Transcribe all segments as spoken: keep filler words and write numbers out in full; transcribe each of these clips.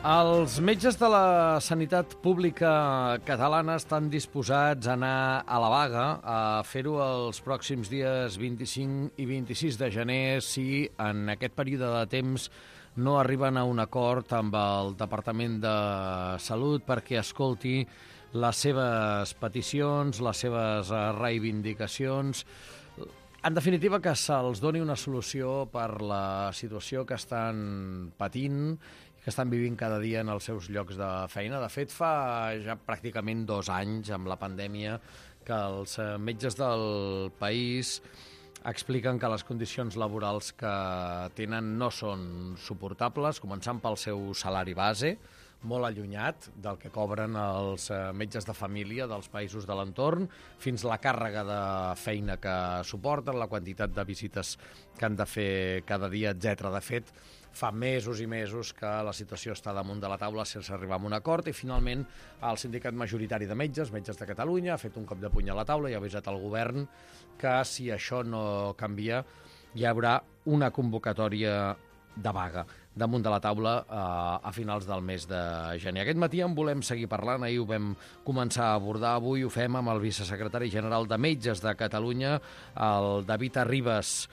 Els metges de la sanitat pública catalana estan disposats a anar a la vaga, a fer-ho els pròxims dies vint-i-cinc i vint-i-sis de gener si en aquest període de temps no arriben a un acord amb el Departament de Salut perquè escolti les seves peticions, les seves reivindicacions. En definitiva, que se'ls doni una solució per la situació que estan patint, que estan vivint cada dia en els seus llocs de feina. De fet, fa ja pràcticament dos anys, amb la pandèmia, que els metges del país expliquen que les condicions laborals que tenen no són suportables, començant pel seu salari base, molt allunyat del que cobren els metges de família dels països de l'entorn, fins la càrrega de feina que suporten, la quantitat de visites que han de fer cada dia, etcètera. De fet, fa mesos i mesos que la situació està damunt de la taula sense arribar a un acord i finalment el sindicat majoritari de metges, Metges de Catalunya, ha fet un cop de puny a la taula i ha avisat al govern que si això no canvia hi haurà una convocatòria de vaga damunt de la taula eh, a finals del mes de gener. Aquest matí en volem seguir parlant, ahir ho vam començar a abordar, avui ho fem amb el vicesecretari general de Metges de Catalunya, el David Arribas.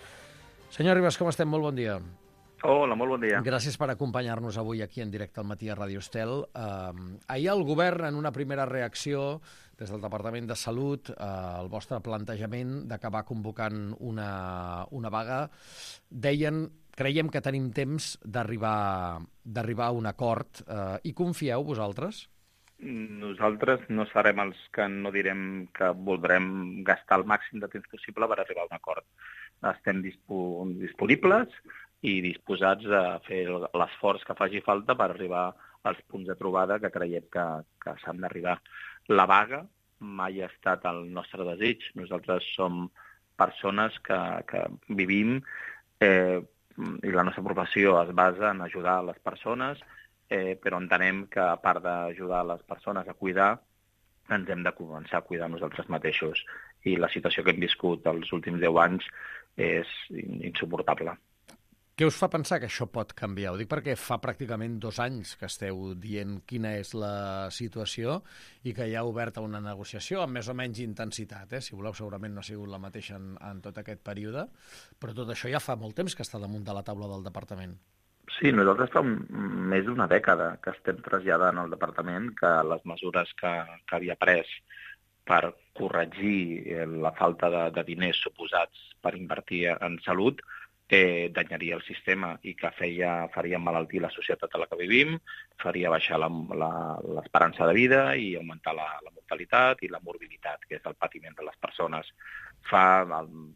Senyor Arribas, com estem? Molt bon dia. Hola, molt bon dia. Gràcies per acompanyar-nos avui aquí en directe al matí a Ràdio Estel. Eh, ahir el govern, en una primera reacció des del Departament de Salut, eh, el vostre plantejament d'acabar convocant una, una vaga, deien, creiem que tenim temps d'arribar d'arribar a un acord. Eh, I confieu, vosaltres? Nosaltres no serem els que no direm que voldrem gastar el màxim de temps possible per arribar a un acord. Estem dispo disponibles i disposats a fer l'esforç que faci falta per arribar als punts de trobada que creiem que, que s'han d'arribar. La vaga mai ha estat el nostre desig. Nosaltres som persones que, que vivim eh, i la nostra professió es basa en ajudar les persones, eh, però entenem que a part d'ajudar les persones a cuidar, ens hem de començar a cuidar nosaltres mateixos. I la situació que hem viscut els últims deu anys és insuportable. Què us fa pensar que això pot canviar? Ho dic perquè fa pràcticament dos anys que esteu dient quina és la situació i que hi ha oberta una negociació amb més o menys intensitat. Eh? Si voleu, segurament no ha sigut la mateixa en, en tot aquest període, però tot això ja fa molt temps que està damunt de la taula del departament. Sí, nosaltres fa més d'una dècada que estem traslladant al departament que les mesures que, que havia pres per corregir la falta de, de diners suposats per invertir en salut Eh, danyaria el sistema i que feia, faria malaltir la societat a la que vivim, faria baixar l'esperança de vida i augmentar la, la mortalitat i la morbiditat, que és el patiment de les persones. Fa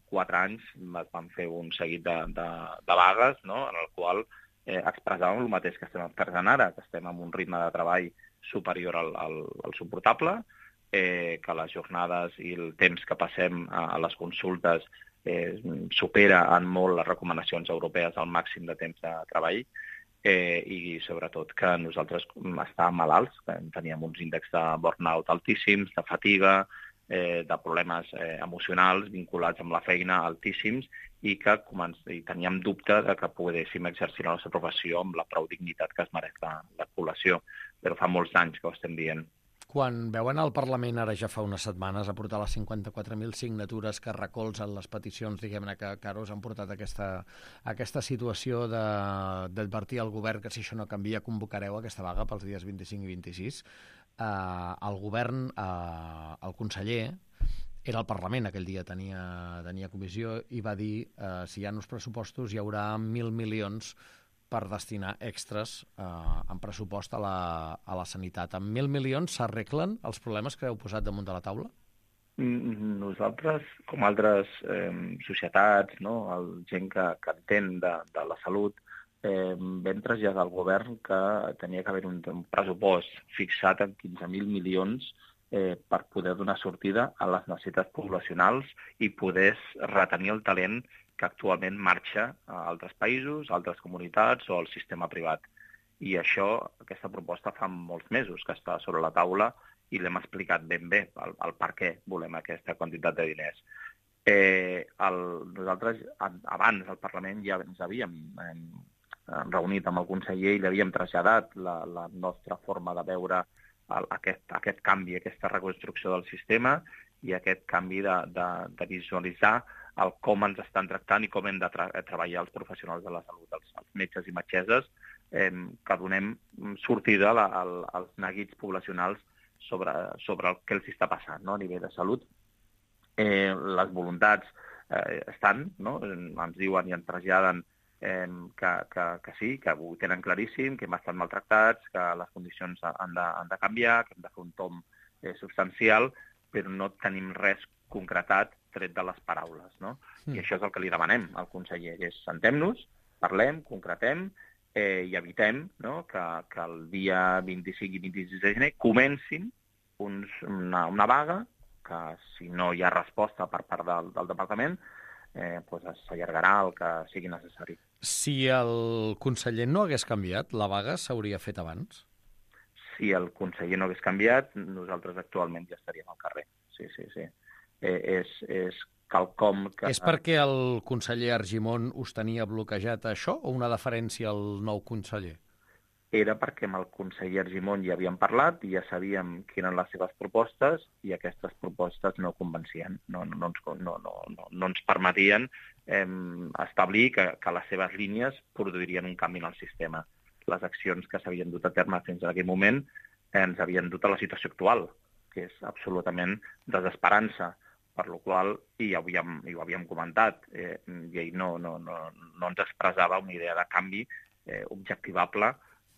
quatre anys es van fer un seguit de, de, de vagues, no?, en el qual eh, expressàvem el mateix que estem expressant ara, que estem amb un ritme de treball superior al, al, al suportable, eh, que les jornades i el temps que passem a, a les consultes Eh, supera en molt les recomanacions europees al màxim de temps de treball eh, i sobretot que nosaltres estàvem malalts, que teníem uns índexs de burnout altíssims, de fatiga, eh, de problemes eh, emocionals vinculats amb la feina altíssims i que i teníem dubte de que poguéssim exercir la nostra professió amb la prou dignitat que es mereix la, la població. Però fa molts anys que ho estem dient. Quan veuen al Parlament, ara ja fa unes setmanes, a portar les cinquanta-quatre mil signatures que recolzen les peticions, diguem-ne, que, que ara us han portat aquesta, aquesta situació d'advertir al govern que si això no canvia convocareu aquesta vaga pels dies vint-i-cinc i vint-i-sis, eh, el govern, eh, el conseller, era al Parlament, aquell dia tenia, tenia comissió, i va dir eh, si hi ha uns pressupostos hi haurà mil milions per destinar extras eh, en pressupost a la, a la sanitat. Amb mil milions s'arreglen els problemes que heu posat damunt de la taula? Nosaltres, com altres eh, societats, no?, el gent que, que entén de, de la salut, eh, vam traslladar al govern que tenia que haver un, un pressupost fixat en quinze mil milions eh, per poder donar sortida a les necessitats poblacionals i poder retenir el talent que actualment marxa a altres països, a altres comunitats o al sistema privat. I això, aquesta proposta fa molts mesos que està sobre la taula i l'hem explicat ben bé, el, el per què volem aquesta quantitat de diners. Eh, el, nosaltres, abans, al Parlament, ja ens havíem eh, reunit amb el conseller i li havíem traslladat la, la nostra forma de veure el, aquest, aquest canvi, aquesta reconstrucció del sistema i aquest canvi de, de, de visualitzar el com ens estan tractant i com hem de tra treballar els professionals de la salut, els, els metges i metgesses, eh, que donem sortida a, a, als neguits poblacionals sobre, sobre el que els està passant, no?, a nivell de salut. Eh, les voluntats eh, estan, no?, ens diuen i ens traslladen eh, que, que, que sí, que ho tenen claríssim, que hem estat maltractats, que les condicions han de, han de canviar, que hem de fer un tom eh, substancial, però no tenim res concretat tret de les paraules, no? Mm. I això és el que li demanem al conseller, és sentem-nos, parlem, concretem eh, i evitem, no?, que, que el dia vint-i-cinc i vint-i-sis de gener comencin uns, una, una vaga que, si no hi ha resposta per part del, del departament, eh, doncs s'allargarà el que sigui necessari. Si el conseller no hagués canviat, la vaga s'hauria fet abans? Si el conseller no hagués canviat, nosaltres actualment ja estaríem al carrer. Sí, sí, sí. Eh, és, és quelcom que... És perquè el conseller Argimon us tenia bloquejat això o una deferència al nou conseller? Era perquè amb el conseller Argimon ja havíem parlat i ja sabíem quines eren les seves propostes i aquestes propostes no convencien, no, no, no, ens, no, no, no, no ens permetien eh, establir que, que les seves línies produirien un canvi en el sistema. Les accions que s'havien dut a terme fins a aquell moment eh, ens havien dut a la situació actual, que és absolutament desesperança, per la qual, i ho havíem, i ho havíem comentat, eh, i ell no, no, no, no ens expressava una idea de canvi eh, objectivable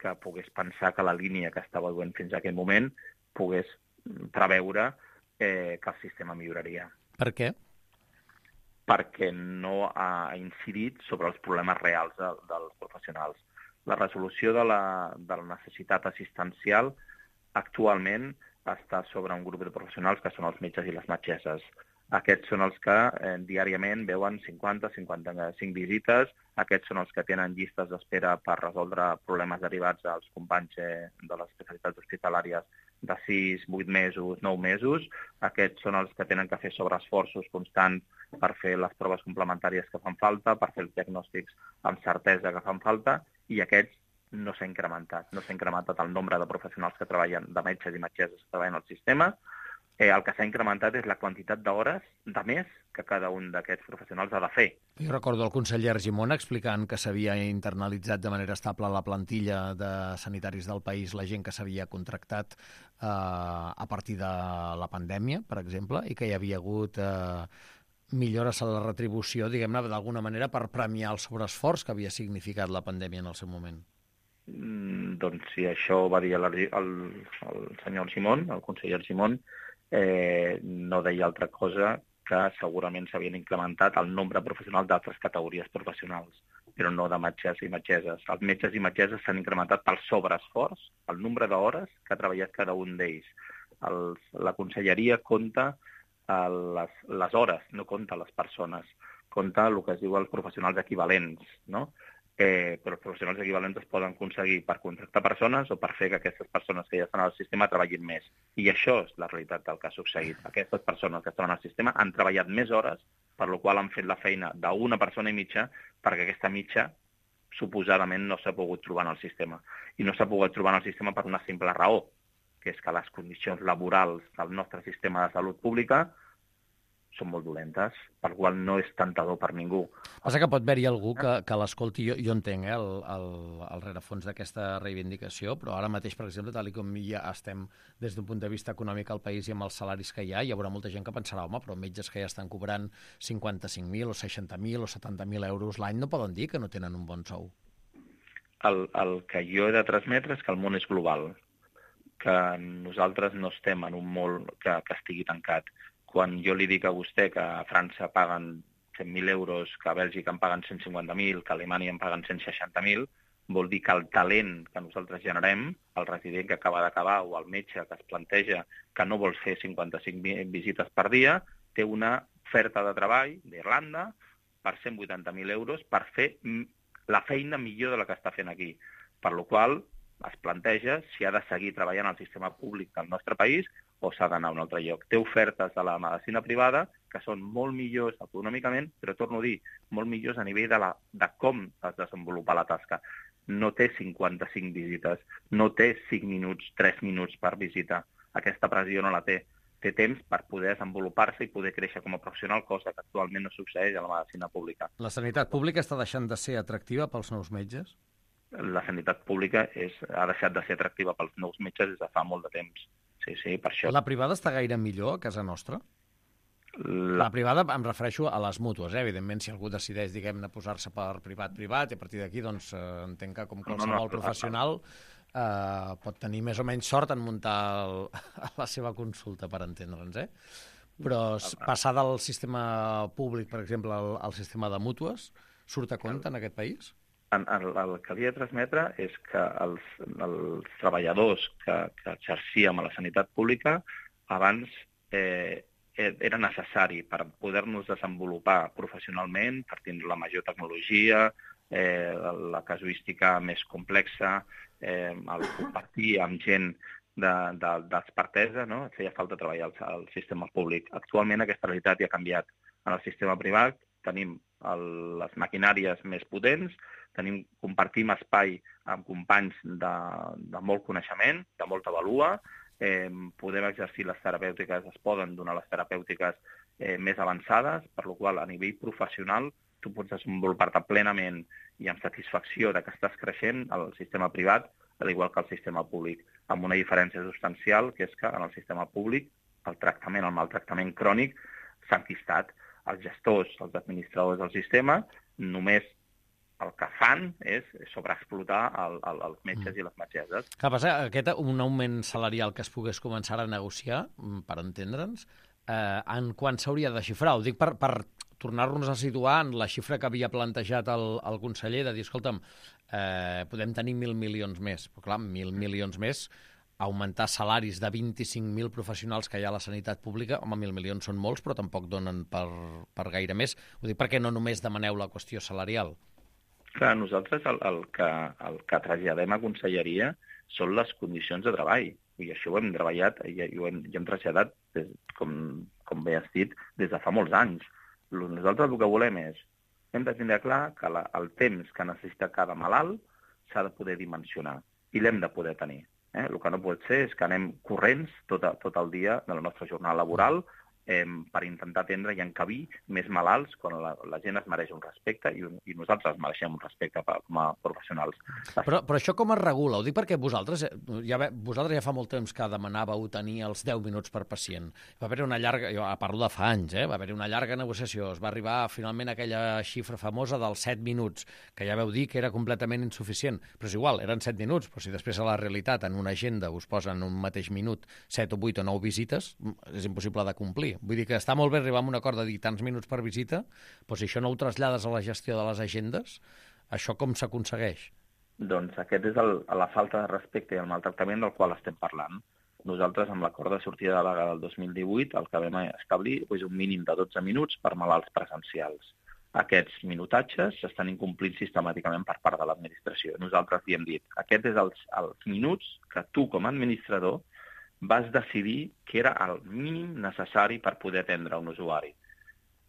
que pogués pensar que la línia que estava duent fins a aquell moment pogués preveure eh, que el sistema milloraria. Per què? Perquè no ha incidit sobre els problemes reals de, dels professionals. La resolució de la, de la necessitat assistencial actualment està sobre un grup de professionals que són els metges i les metgesses. Aquests són els que eh, diàriament veuen cinquanta a cinquanta-cinc visites, aquests són els que tenen llistes d'espera per resoldre problemes derivats als companys eh, de les especialitats hospitalàries de sis, vuit mesos, nou mesos, aquests són els que tenen que fer sobreesforços constants per fer les proves complementàries que fan falta, per fer els diagnòstics amb certesa que fan falta, i aquests no s'ha incrementat. No s'ha incrementat el nombre de professionals que treballen, de metges i metgesses que treballen al sistema. Eh, el que s'ha incrementat és la quantitat d'hores de més que cada un d'aquests professionals ha de fer. Jo recordo el conseller Argimon explicant que s'havia internalitzat de manera estable la plantilla de sanitaris del país, la gent que s'havia contractat eh, a partir de la pandèmia, per exemple, i que hi havia hagut eh, millores a la retribució, diguem-ne, d'alguna manera, per premiar el sobreesforç que havia significat la pandèmia en el seu moment. Mm, doncs si això ho va dir el, el, el senyor Argimon, el conseller Argimon, eh, no deia altra cosa que segurament s'havien incrementat el nombre professional d'altres categories professionals, però no de metges i metgesses. Els metges i metgesses s'han incrementat pel sobreesforç, el nombre d'hores que ha treballat cada un d'ells. Els, la conselleria compta eh, les, les hores, no compta les persones, compta el que es diu els professionals equivalents, no? Eh, però els professionals equivalents es poden aconseguir per contractar persones o per fer que aquestes persones que ja estan al sistema treballin més. I això és la realitat del que ha succeït. Aquestes persones que estan al sistema han treballat més hores, per la qual han fet la feina d'una persona i mitja, perquè aquesta mitja suposadament no s'ha pogut trobar en el sistema. I no s'ha pogut trobar en el sistema per una simple raó, que és que les condicions laborals del nostre sistema de salut pública són molt dolentes, per qual no és tentador per ningú. Passa que pot haver-hi algú que, que l'escolti, jo, jo entenc eh, el, el, el rerefons d'aquesta reivindicació, però ara mateix, per exemple, tal com ja estem des d'un punt de vista econòmic al país i amb els salaris que hi ha, hi haurà molta gent que pensarà, home, però metges que ja estan cobrant cinquanta-cinc mil o seixanta mil o setanta mil euros l'any no poden dir que no tenen un bon sou. El, el que jo he de transmetre és que el món és global, que nosaltres no estem en un món que, que estigui tancat. Quan jo li dic a vostè que a França paguen cent mil euros, que a Bèlgica en paguen cent cinquanta mil, que a Alemanya en paguen cent seixanta mil, vol dir que el talent que nosaltres generem, el resident que acaba d'acabar o el metge que es planteja que no vol fer cinquanta-cinc visites per dia, té una oferta de treball d'Irlanda per cent vuitanta mil euros per fer la feina millor de la que està fent aquí. Per la qual es planteja si ha de seguir treballant al sistema públic del nostre país o s'ha d'anar a un altre lloc. Té ofertes de la medicina privada que són molt millors econòmicament, però torno a dir, molt millors a nivell de, la, de com es desenvolupa la tasca. no té cinquanta-cinc visites, no té cinc minuts, tres minuts per visita. Aquesta pressió no la té. Té temps per poder desenvolupar-se i poder créixer com a professional, cosa que actualment no succeeix a la medicina pública. La sanitat pública està deixant de ser atractiva pels nous metges? La sanitat pública és, ha deixat de ser atractiva pels nous metges des de fa molt de temps. Sí, sí, per això. La privada està gaire millor a casa nostra? La, la privada em refereixo a les mútues, eh? Evidentment, si algú decideix, diguem-ne, posar-se per privat-privat, i a partir d'aquí, doncs, eh, entenc que com qualsevol no, no, professional eh, pot tenir més o menys sort en muntar el, la seva consulta, per entendre'ns, eh? Però passar del sistema públic, per exemple, al, al sistema de mútues, surt a compte en aquest país? El, el, el que havia de transmetre és que els, els treballadors que, que exercíem a la sanitat pública abans eh, era necessari per poder-nos desenvolupar professionalment, per tindre la major tecnologia, eh, la casuística més complexa, eh, el compartir amb gent d'expertesa, no? Feia falta treballar al, al sistema públic. Actualment aquesta realitat ja ha canviat. En el sistema privat tenim el, les maquinàries més potents, tenim, compartim espai amb companys de, de molt coneixement, de molta valua, eh, podem exercir les terapèutiques, es poden donar les terapèutiques eh, més avançades, per la qual a nivell professional tu pots desenvolupar-te plenament i amb satisfacció de que estàs creixent al sistema privat, al igual que al sistema públic, amb una diferència substancial, que és que en el sistema públic el tractament, el maltractament crònic s'ha enquistat. Els gestors, els administradors del sistema, només el que fan és sobreexplotar el, el, els metges i les metgesses. Què passa? Aquest un augment salarial que es pogués començar a negociar, per entendre'ns, eh, en quan s'hauria de xifrar? Ho dic per, per tornar-nos a situar en la xifra que havia plantejat el, el conseller, de dir, escolta'm, eh, podem tenir mil milions més. Però clar, mil milions més, augmentar salaris de vint-i-cinc mil professionals que hi ha a la sanitat pública, home, mil milions són molts, però tampoc donen per, per gaire més. Ho dic perquè no només demaneu la qüestió salarial. Clar, nosaltres el, el, que, el que traslladem a conselleria són les condicions de treball. I això ho hem treballat i, i ho hem, i hem traslladat, des, com, com bé has dit, des de fa molts anys. Nosaltres el que volem és, hem de tindre clar que la, el temps que necessita cada malalt s'ha de poder dimensionar i l'hem de poder tenir. Eh? El que no pot ser és que anem corrents tot, tot el dia de la nostra jornada laboral eh, per intentar atendre i encabir més malalts quan la, la gent es mereix un respecte i, un, i nosaltres mereixem un respecte per, com a professionals. Però, però això com es regula? Ho dic perquè vosaltres ja, vosaltres ja fa molt temps que demanàveu tenir els deu minuts per pacient. Va haver una llarga, jo parlo de fa anys, eh? Va haver una llarga negociació. Es va arribar finalment a aquella xifra famosa dels set minuts, que ja veu dir que era completament insuficient. Però és igual, eren set minuts, però si després a la realitat en una agenda us posen un mateix minut set o vuit o nou visites, és impossible de complir. Vull dir que està molt bé arribar a un acord de dir tants minuts per visita, però si això no ho trasllades a la gestió de les agendes, això com s'aconsegueix? Doncs aquest és el, la falta de respecte i el maltractament del qual estem parlant. Nosaltres, amb l'acord de sortida de vaga del dos mil divuit, el que vam establir és un mínim de dotze minuts per malalts presencials. Aquests minutatges s'estan incomplint sistemàticament per part de l'administració. Nosaltres li hem dit, aquest és els, els minuts que tu, com a administrador, vas decidir que era el mínim necessari per poder atendre un usuari.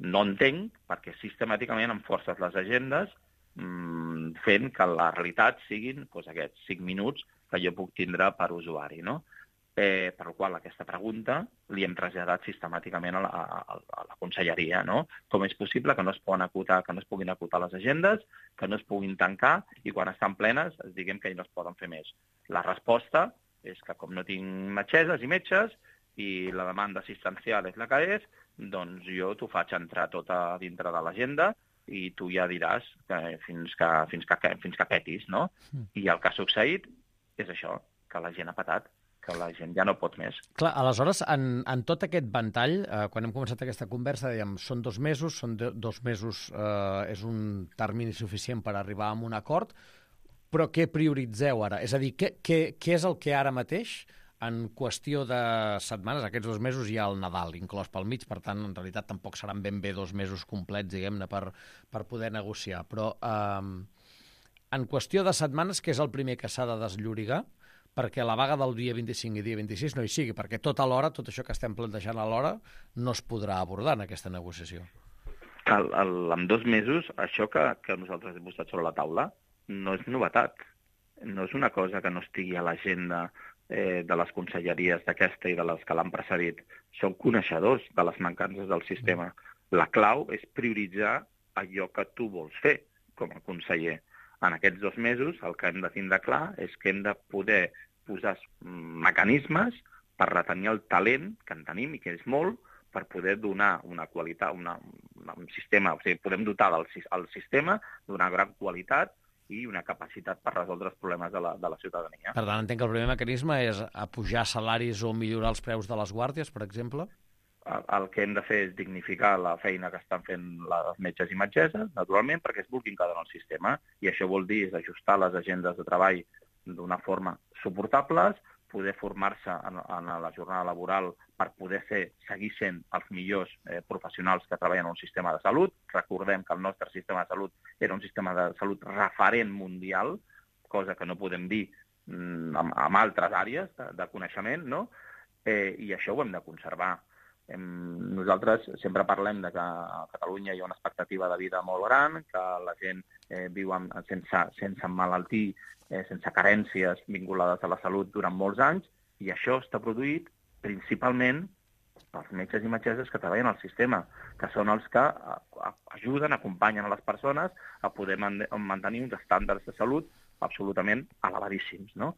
No entenc perquè sistemàticament em forces les agendes mmm, fent que la realitat siguin doncs, aquests cinc minuts que jo puc tindre per usuari, no? Eh, per la qual aquesta pregunta li hem traslladat sistemàticament a la, a, a la conselleria, no? Com és possible que no es poden acotar, que no es puguin acotar les agendes, que no es puguin tancar i quan estan plenes es diguem que no es poden fer més. La resposta és que com no tinc metgesses i metges i la demanda assistencial és la que és, doncs jo t'ho faig entrar tot a dintre de l'agenda i tu ja diràs que fins, que, fins, que, fins que petis, no? Mm. I el que ha succeït és això, que la gent ha patat, que la gent ja no pot més. Clar, aleshores, en, en tot aquest ventall, eh, quan hem començat aquesta conversa, dèiem, són dos mesos, són de, dos mesos eh, és un termini suficient per arribar a un acord, però què prioritzeu ara? És a dir, què, què, què és el que ara mateix, en qüestió de setmanes, aquests dos mesos hi ha el Nadal inclòs pel mig, per tant, en realitat tampoc seran ben bé dos mesos complets, diguem-ne, per, per poder negociar. Però eh, en qüestió de setmanes, què és el primer que s'ha de desllorigar perquè la vaga del dia vint-i-cinc i dia vint-i-sis no hi sigui, perquè tot alhora, tot això que estem plantejant alhora, no es podrà abordar en aquesta negociació. El, el, en dos mesos, això que, que nosaltres hem posat sobre la taula no és novetat. no és una cosa que no estigui a l'agenda eh, de les conselleries d'aquesta i de les que l'han precedit. Són coneixedors de les mancances del sistema. La clau és prioritzar allò que tu vols fer com a conseller. En aquests dos mesos el que hem de tindre clar és que hem de poder posar mecanismes per retenir el talent que en tenim i que és molt, per poder donar una qualitat, una, una, un sistema, o sigui, podem dotar del, el sistema d'una gran qualitat i una capacitat per resoldre els problemes de la, de la ciutadania. Per tant, entenc que el primer mecanisme és apujar salaris o millorar els preus de les guàrdies, per exemple? El, el que hem de fer és dignificar la feina que estan fent les metges i metgesses, naturalment, perquè es vulguin quedar en el sistema, i això vol dir és ajustar les agendes de treball d'una forma suportables, poder formar-se en, en la jornada laboral per poder ser, seguir sent els millors eh, professionals que treballen en un sistema de salut. Recordem que el nostre sistema de salut era un sistema de salut referent mundial, cosa que no podem dir mm, en, en altres àrees de, de coneixement, no? Eh, i això ho hem de conservar. Hem, nosaltres sempre parlem de que a Catalunya hi ha una expectativa de vida molt gran, que la gent eh, viu amb, sense, sense emmalaltir, eh, sense carències vinculades a la salut durant molts anys, i això està produït principalment pels metges i metgesses que treballen al sistema, que són els que a, a, ajuden, acompanyen a les persones a poder man mantenir uns estàndards de salut absolutament elevadíssims, no?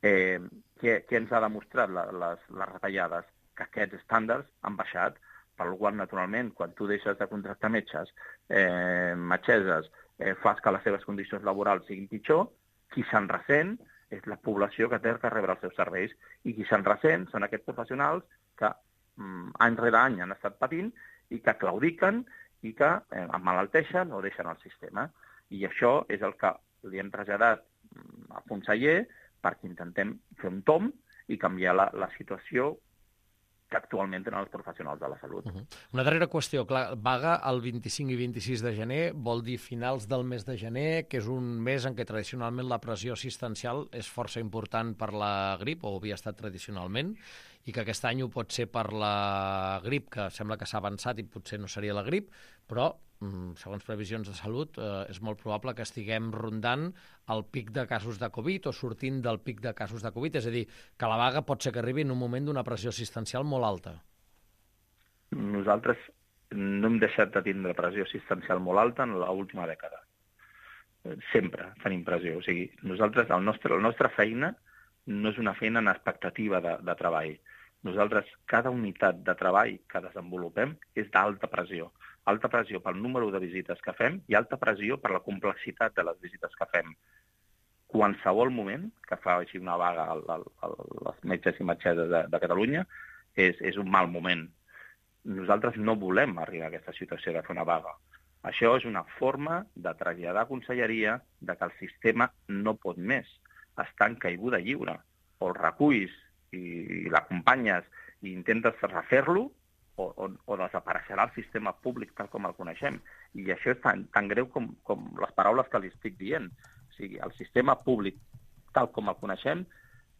Eh, què, què ens ha demostrat la, les, les retallades? Que aquests estàndards han baixat, per la qual, naturalment, quan tu deixes de contractar metges, eh, metgesses, eh, fas que les seves condicions laborals siguin pitjor, qui se'n ressent és la població que té que rebre els seus serveis, i qui se'n ressent són aquests professionals que mm, any rere any han estat patint i que claudiquen i que eh, emmalalteixen o deixen el sistema. I això és el que li hem traslladat mm, al conseller perquè intentem fer un tomb i canviar la, la situació que actualment tenen els professionals de la salut. Uh -huh. Una darrera qüestió. Clar, vaga el vint-i-cinc i vint-i-sis de gener vol dir finals del mes de gener, que és un mes en què tradicionalment la pressió assistencial és força important per la grip, o havia estat tradicionalment, i que aquest any ho pot ser per la grip, que sembla que s'ha avançat i potser no seria la grip, però, segons previsions de salut, eh, és molt probable que estiguem rondant el pic de casos de Covid o sortint del pic de casos de Covid. És a dir, que la vaga pot ser que arribi en un moment d'una pressió assistencial molt alta. Nosaltres no hem deixat de tindre pressió assistencial molt alta en l'última dècada. Sempre tenim pressió. O sigui, nosaltres, el nostre, la nostra feina no és una feina en expectativa de, de treball. Nosaltres, cada unitat de treball que desenvolupem és d'alta pressió. Alta pressió pel número de visites que fem i alta pressió per la complexitat de les visites que fem. Qualsevol moment que fa així una vaga a les metges i metgesses de, de Catalunya és, és un mal moment. Nosaltres no volem arribar a aquesta situació de fer una vaga. Això és una forma de traslladar a conselleria de que el sistema no pot més. Està en caiguda lliure. O el reculls i l'acompanyes i intentes refer-lo, o, o, o desapareixerà el sistema públic tal com el coneixem. I això és tan, tan greu com, com les paraules que li estic dient. O sigui, el sistema públic tal com el coneixem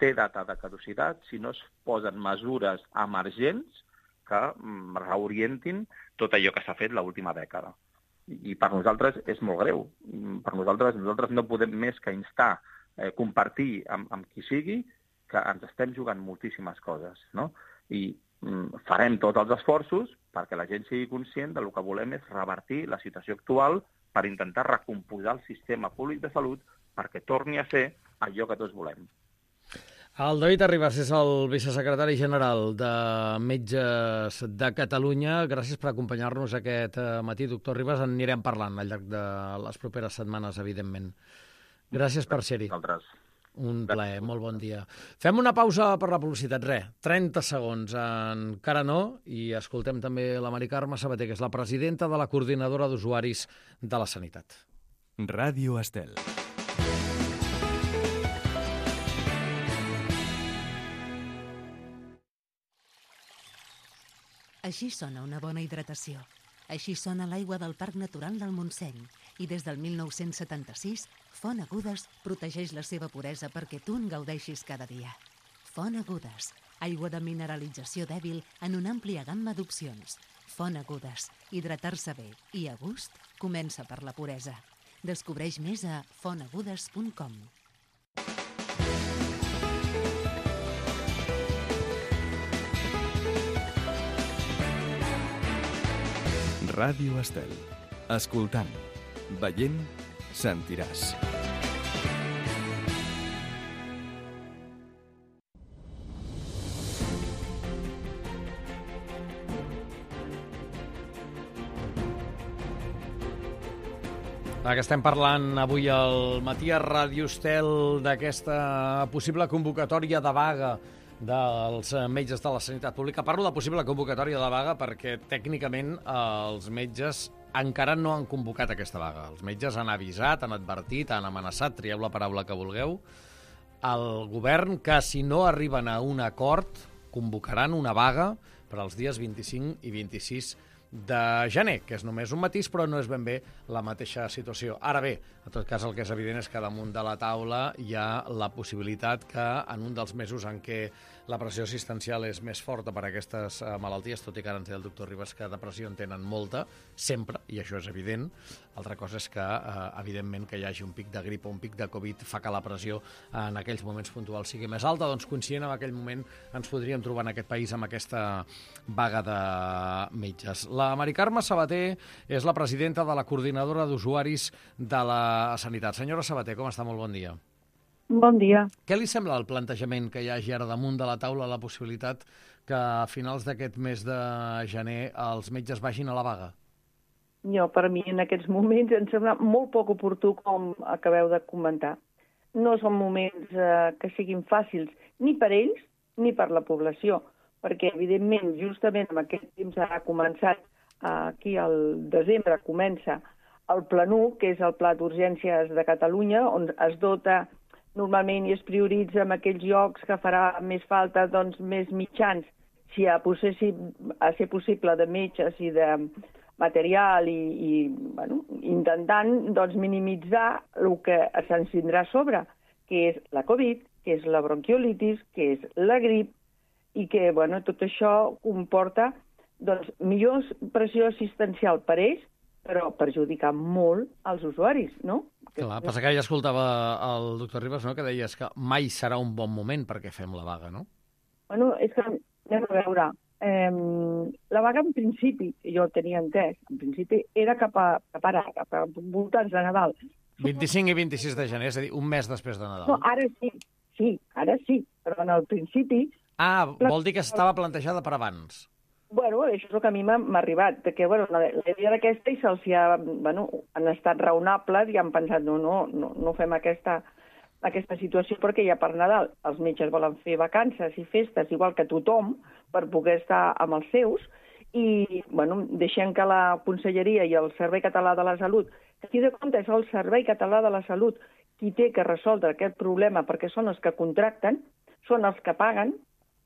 té data de caducitat si no es posen mesures emergents que mm, reorientin tot allò que s'ha fet l'última dècada. I, I per nosaltres és molt greu. Per nosaltres, nosaltres no podem més que instar, eh, compartir amb, amb qui sigui, que ens estem jugant moltíssimes coses, no? I mm, farem tots els esforços perquè la gent sigui conscient del que volem és revertir la situació actual per intentar recomposar el sistema públic de salut perquè torni a ser allò que tots volem. El David Arribas és el vicesecretari general de Metges de Catalunya. Gràcies per acompanyar-nos aquest matí, doctor Arribas. En anirem parlant al llarg de les properes setmanes, evidentment. Gràcies per ser-hi. Un plaer, molt bon dia. Fem una pausa per la publicitat, res, trenta segons, encara no, i escoltem també la Mari Carme Sabater, que és la presidenta de la Coordinadora d'Usuaris de la Sanitat. Ràdio Estel. Així sona una bona hidratació. Així sona l'aigua del Parc Natural del Montseny. I des del mil nou-cents setanta-sis, Font Agudes protegeix la seva puresa perquè tu en gaudeixis cada dia. Font Agudes, aigua de mineralització dèbil en una àmplia gamma d'opcions. Font Agudes, hidratar-se bé i a gust comença per la puresa. Descobreix més a font agudes punt com. Ràdio Estel. Escoltant, veient, sentiràs. Ara que estem parlant avui al matí a Ràdio Estel d'aquesta possible convocatòria de vaga dels metges de la sanitat pública. Parlo de possible convocatòria de vaga perquè tècnicament els metges encara no han convocat aquesta vaga. Els metges han avisat, han advertit, han amenaçat, trieu la paraula que vulgueu, al govern que si no arriben a un acord convocaran una vaga per als dies vint-i-cinc i vint-i-sis de gener, que és només un matís, però no és ben bé la mateixa situació. Ara bé, en tot cas, el que és evident és que damunt de la taula hi ha la possibilitat que en un dels mesos en què la pressió assistencial és més forta per a aquestes malalties, tot i que ara ens deia el doctor Ribas que depressió en tenen molta, sempre, i això és evident. Altra cosa és que, eh, evidentment, que hi hagi un pic de grip o un pic de Covid fa que la pressió en aquells moments puntuals sigui més alta, doncs coincidint en aquell moment ens podríem trobar en aquest país amb aquesta vaga de metges. La Mari Carme Sabater és la presidenta de la Coordinadora d'Usuaris de la Sanitat. Senyora Sabater, com està? Molt bon dia. Bon dia. Què li sembla el plantejament que hi hagi ara damunt de la taula la possibilitat que a finals d'aquest mes de gener els metges vagin a la vaga? Jo, per mi, en aquests moments, em sembla molt poc oportú, com acabeu de comentar. No són moments eh, que siguin fàcils ni per ells ni per la població, perquè, evidentment, justament en aquest temps ha començat, eh, aquí al desembre comença el Pla u, que és el Pla d'Urgències de Catalunya, on es dota normalment i es prioritza en aquells llocs que farà més falta doncs, més mitjans, si a, possessi, a ser possible, de metges i de material i, i bueno, intentant doncs, minimitzar el que se'ns tindrà a sobre, que és la Covid, que és la bronquiolitis, que és la grip, i que bueno, tot això comporta doncs, millor pressió assistencial per ells, però perjudicar molt als usuaris, no? Clar, passa que ja escoltava el doctor Ribas, no?, que deies que mai serà un bon moment perquè fem la vaga, no? Bueno, és que, anem a veure, eh, la vaga en principi, jo tenia entès, en principi era cap a, cap ara, cap a voltants de Nadal. vint-i-cinc i vint-i-sis de gener, és a dir, un mes després de Nadal. No, ara sí, sí, ara sí, però en el principi... Ah, vol dir que estava plantejada per abans. Bueno, això és el que a mi m'ha arribat, que bueno, la idea d'aquesta i se'ls ha, bueno, han estat raonables i han pensat, no, no, no, no fem aquesta, aquesta situació perquè ja per Nadal els metges volen fer vacances i festes igual que tothom per poder estar amb els seus i, bueno, deixem que la Conselleria i el Servei Català de la Salut, que aquí de compte és el Servei Català de la Salut qui té que resoldre aquest problema perquè són els que contracten, són els que paguen,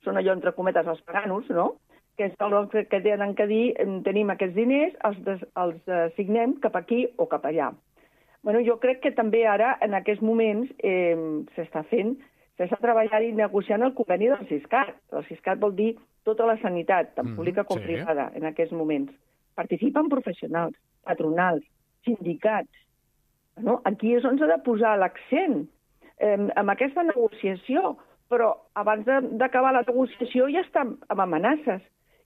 són allò entre cometes els paganos, no?, que és el que tenen que dir, tenim aquests diners, els, des, els assignem cap aquí o cap allà. Bueno, jo crec que també ara, en aquests moments, eh, s'està fent, s'està treballant i negociant el conveni del Siscat. El Siscat vol dir tota la sanitat, tant mm, pública com sí. privada, en aquests moments. Participen professionals, patronals, sindicats. Bueno, aquí és on s'ha de posar l'accent, eh, amb aquesta negociació, però abans d'acabar la negociació ja està amb amenaces.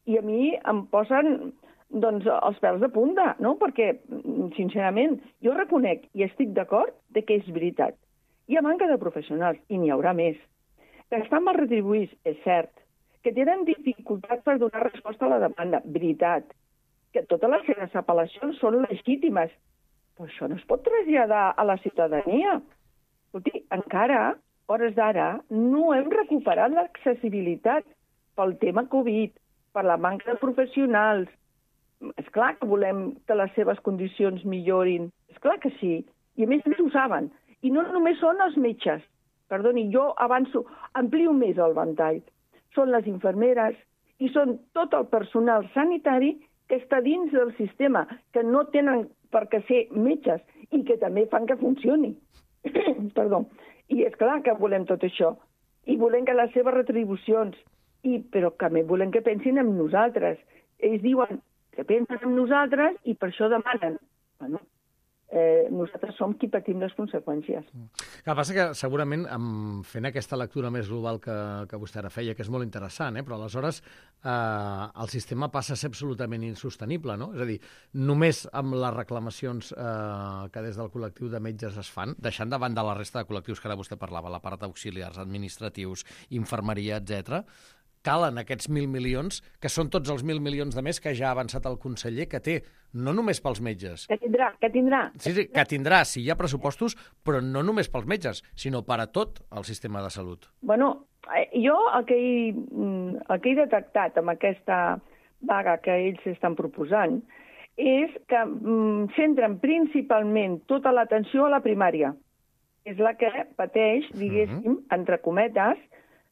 I a mi em posen doncs, els pèls de punta, no? Perquè, sincerament, jo reconec i estic d'acord de que és veritat. Hi ha manca de professionals, i n'hi haurà més. Que estan mal retribuïts, és cert. Que tenen dificultats per donar resposta a la demanda, veritat. Que totes les seves apel·lacions són legítimes. Però això no es pot traslladar a la ciutadania. Escolti, encara, hores d'ara, no hem recuperat l'accessibilitat pel tema Covid, per la manca de professionals. És clar que volem que les seves condicions millorin. És clar que sí. I a més a més ho saben. I no només són els metges. Perdoni, jo avanço, amplio més el ventall. Són les infermeres i són tot el personal sanitari que està dins del sistema, que no tenen per què ser metges i que també fan que funcioni. Perdó. I és clar que volem tot això. I volem que les seves retribucions I, però també volem que pensin en nosaltres. Ells diuen que pensen en nosaltres i per això demanen. Bueno, eh, nosaltres som qui patim les conseqüències. El que passa que segurament, fent aquesta lectura més global que, que vostè ara feia, que és molt interessant, eh? Però aleshores eh, el sistema passa a ser absolutament insostenible, no? És a dir, només amb les reclamacions eh, que des del col·lectiu de metges es fan, deixant de banda la resta de col·lectius que ara vostè parlava, la part d'auxiliars, administratius, infermeria, etcètera, calen aquests mil milions, que són tots els mil milions de més que ja ha avançat el conseller, que té, no només pels metges. Que tindrà, que tindrà. Sí, sí, que tindrà, si hi ha pressupostos, però no només pels metges, sinó per a tot el sistema de salut. Bueno, jo el que he, el que he detectat amb aquesta vaga que ells estan proposant és que mm, centren principalment tota l'atenció a la primària. És la que pateix, diguéssim, mm-hmm. entre cometes,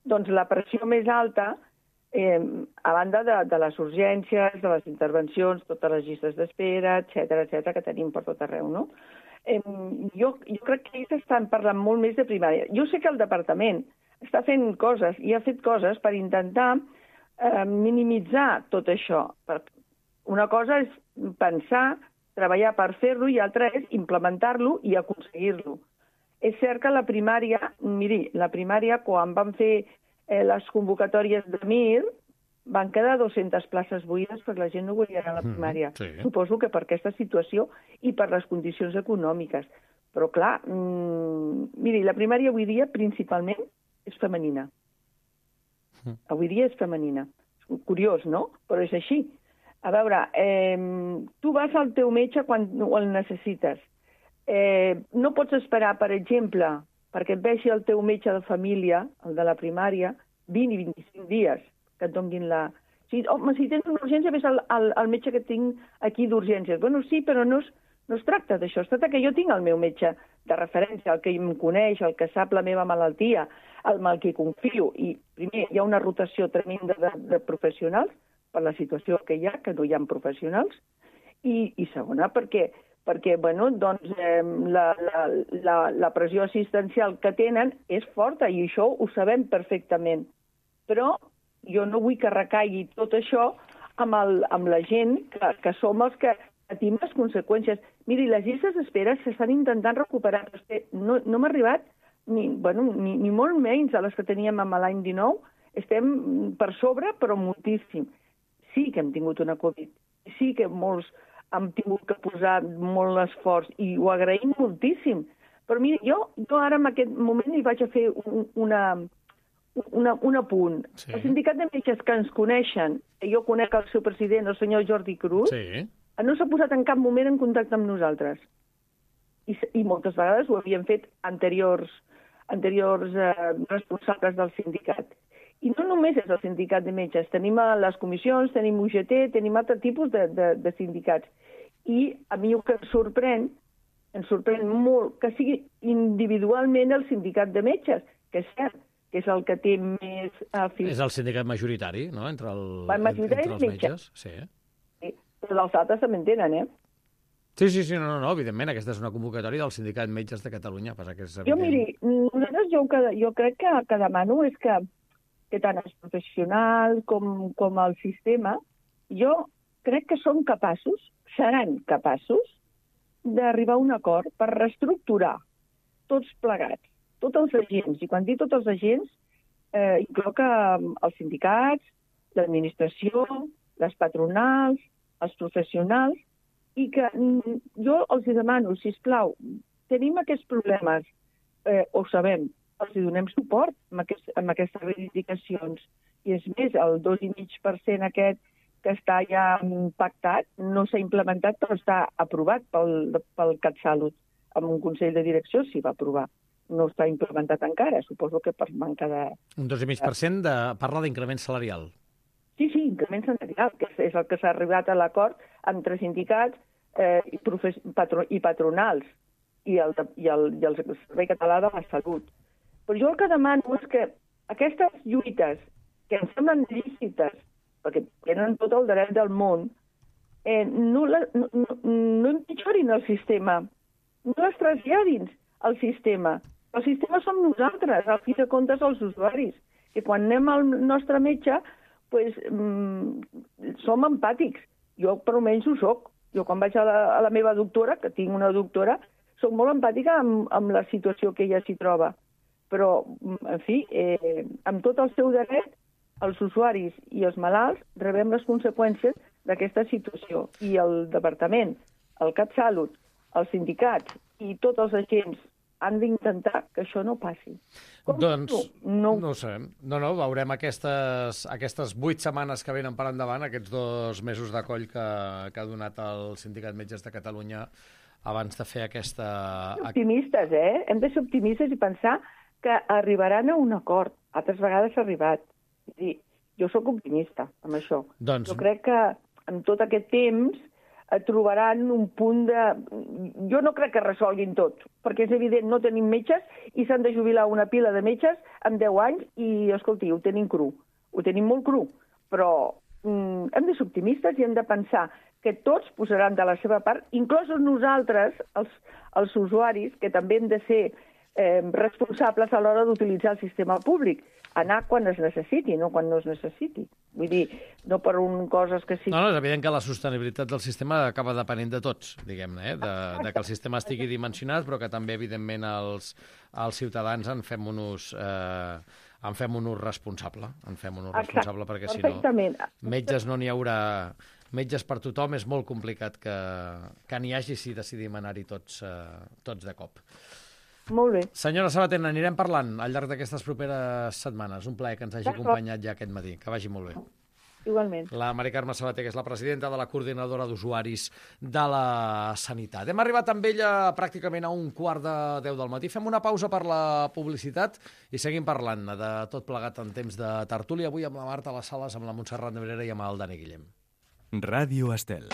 doncs la pressió més alta, eh, a banda de, de les urgències, de les intervencions, totes les llistes d'espera, etcètera, etcètera, que tenim per tot arreu, no? Eh, jo, jo crec que ells estan parlant molt més de primària. Jo sé que el departament està fent coses, i ha fet coses per intentar eh, minimitzar tot això. Una cosa és pensar, treballar per fer-lo, i altra és implementar-lo i aconseguir-lo. És cert que la primària, miri, la primària, quan van fer eh, les convocatòries de Mir, van quedar dues-centes places buides perquè la gent no volia anar a la primària. Mm, sí. Suposo que per aquesta situació i per les condicions econòmiques. Però, clar, mmm, miri, la primària avui dia principalment és femenina. Mm. Avui dia és femenina. Curiós, no? Però és així. A veure, eh, tu vas al teu metge quan el necessites. Eh, no pots esperar, per exemple, perquè et vegi el teu metge de família, el de la primària, vint i vint-i-cinc dies que et donguin la... Sí, home, si tens una urgència, ves al, al, al metge que tinc aquí d'urgències. Bueno, sí, però no es, no es tracta d'això. Es tracta que jo tinc el meu metge de referència, el que em coneix, el que sap la meva malaltia, el mal que confio. I, primer, hi ha una rotació tremenda de, de professionals per la situació que hi ha, que no hi ha professionals. I, i segona, perquè... perquè bueno, doncs, eh, la, la, la, la pressió assistencial que tenen és forta i això ho sabem perfectament. Però jo no vull que recaigui tot això amb, el, amb la gent que, que som els que patim les conseqüències. Miri, les llistes d'espera s'estan intentant recuperar. No, no m'ha arribat ni, bueno, ni, ni molt menys a les que teníem amb l'any dinou. Estem per sobre, però moltíssim. Sí que hem tingut una Covid. Sí que molts hem tingut que posar molt esforç i ho agraïm moltíssim. Però mira, jo, jo ara en aquest moment hi vaig a fer un, una, una, un apunt. Sí. El sindicat de metges que ens coneixen, jo conec el seu president, el senyor Jordi Cruz, sí. No s'ha posat en cap moment en contacte amb nosaltres. I, i moltes vegades ho havien fet anteriors, anteriors eh, responsables del sindicat. I no només és el sindicat de metges, tenim les comissions, tenim U G T, tenim altre tipus de, de, de sindicats. I a mi el que em sorprèn, em sorprèn molt que sigui individualment el sindicat de metges, que és cert, que és el que té més... Uh, és el sindicat majoritari, no?, entre, el, majoritari entre els metges. Sí. Sí. Però els altres també en tenen, eh? Sí, sí, sí, no, no, no, evidentment, aquesta és una convocatòria del Sindicat Metges de Catalunya. Passa que és jo, miri, nosaltres jo, jo crec que, que demano és que que tant els professionals com, com el sistema, jo crec que som capaços, seran capaços, d'arribar a un acord per reestructurar tots plegats, tots els agents. I quan dic tots els agents, eh, incloc els sindicats, l'administració, les patronals, els professionals, i que jo els demano, sisplau, tenim aquests problemes, eh, ho sabem, els donem suport amb, aquest, amb aquestes reivindicacions. I és més, el dos coma cinc per cent aquest que està ja pactat no s'ha implementat, però està aprovat pel, pel CatSalut. Amb un Consell de Direcció s'hi va aprovar. No està implementat encara, suposo que per manca de... Un dos coma cinc per cent de... parla d'increment salarial. Sí, sí, increment salarial, que és el que s'ha arribat a l'acord entre sindicats eh, i, profes... patro... i patronals i el, i, el, i el Servei Català de la Salut. Però jo el que demano és que aquestes lluites, que em semblen lícites, perquè tenen tot el dret del món, eh, no, la, no, no, no empitjorin el sistema, no les traslladin al sistema. El sistema som nosaltres, al fi de comptes els usuaris, que quan anem al nostre metge pues, mm, som empàtics. Jo, per almenys, ho soc. Jo, quan vaig a la, a la meva doctora, que tinc una doctora, soc molt empàtica amb, amb la situació que ella s'hi troba, però, en fi, eh, amb tot el seu dret, els usuaris i els malalts rebem les conseqüències d'aquesta situació. I el departament, el CatSalut, els sindicats i tots els agents han d'intentar que això no passi. Com doncs, no, no ho sabem. No, no, veurem aquestes, aquestes vuit setmanes que venen per endavant, aquests dos mesos de coll que, que ha donat el Sindicat Metges de Catalunya abans de fer aquesta... Optimistes, eh? Hem de ser optimistes i pensar que arribaran a un acord. Altres vegades s'ha arribat. És a dir, jo sóc optimista amb això. Doncs... Jo crec que en tot aquest temps trobaran un punt de... Jo no crec que resolguin tot, perquè és evident, no tenim metges i s'han de jubilar una pila de metges amb deu anys i, escolti, ho tenim cru. Ho tenim molt cru, però mm, hem de ser optimistes i hem de pensar que tots posaran de la seva part, inclosos nosaltres, els, els usuaris, que també hem de ser eh, responsables a l'hora d'utilitzar el sistema públic. Anar quan es necessiti, no quan no es necessiti. Vull dir, no per un coses que sí... No, no, és evident que la sostenibilitat del sistema acaba depenent de tots, diguem-ne, eh? de, de que el sistema estigui dimensionat, però que també, evidentment, els, els ciutadans en fem un ús, eh, en fem un ús responsable, en fem un ús responsable, perquè si no, metges no n'hi haurà... Metges per tothom és molt complicat que, que n'hi hagi si decidim anar-hi tots, eh, tots de cop. Molt bé. Senyora Sabater, anirem parlant al llarg d'aquestes properes setmanes. Un plaer que ens hagi acompanyat ja aquest matí. Que vagi molt bé. Igualment. La Mari Carme Sabater, que és la presidenta de la coordinadora d'usuaris de la sanitat. Hem arribat amb ella pràcticament a un quart de deu del matí. Fem una pausa per la publicitat i seguim parlant de tot plegat en temps de tertúlia. Avui amb la Marta a les Sales, amb la Montserrat Nebrera i amb el Dani Guillem. Ràdio Estel.